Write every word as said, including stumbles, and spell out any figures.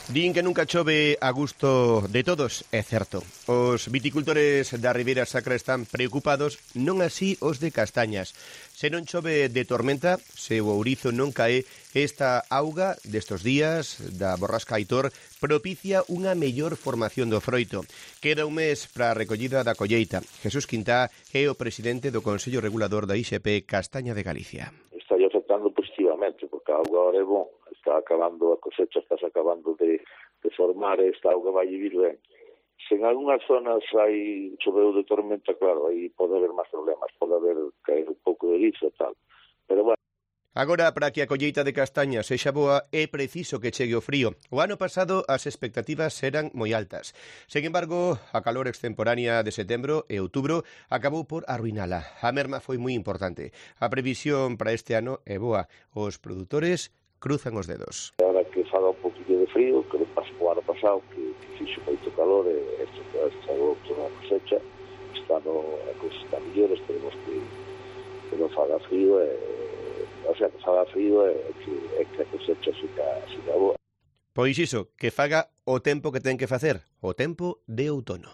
Din que nunca chove a gusto de todos, é certo. Os viticultores da Ribeira Sacra están preocupados, non así os de Castañas. Se non chove de tormenta, se o ourizo non cae, esta auga destos días da borrasca Aitor propicia unha mellor formación do froito. Queda un mes para a recollida da colleita. Jesús Quintá é o presidente do Consello Regulador da I X P Castaña de Galicia. Está afectando positivamente, porque a auga ahora é bon, está acabando, a cosecha está acabando de, de formar, esta auga vai vir ben. Se en algunhas zonas hai choveu de tormenta, claro, aí pode haber máis problemas, pode haber caer un pouco de guizo e tal, pero bueno. Agora, para que a colleita de castañas sexa boa, é preciso que chegue o frío. O ano pasado as expectativas eran moi altas. Sen embargo, a calor extemporánea de setembro e outubro acabou por arruinala. A merma foi moi importante. A previsión para este ano é boa. Os produtores cruzan os dedos. Ahora que faga un poquinho de frío, que pasou o ano pasado, que, que fixo moito calor, e este que estragou toda a cosecha, está no, a cosecha está mellor, esperemos que, que non faga frío, e, o sea, que faga frío e que, e que a cosecha fica, fica boa. Pois iso, que faga o tempo que ten que facer, o tempo de outono.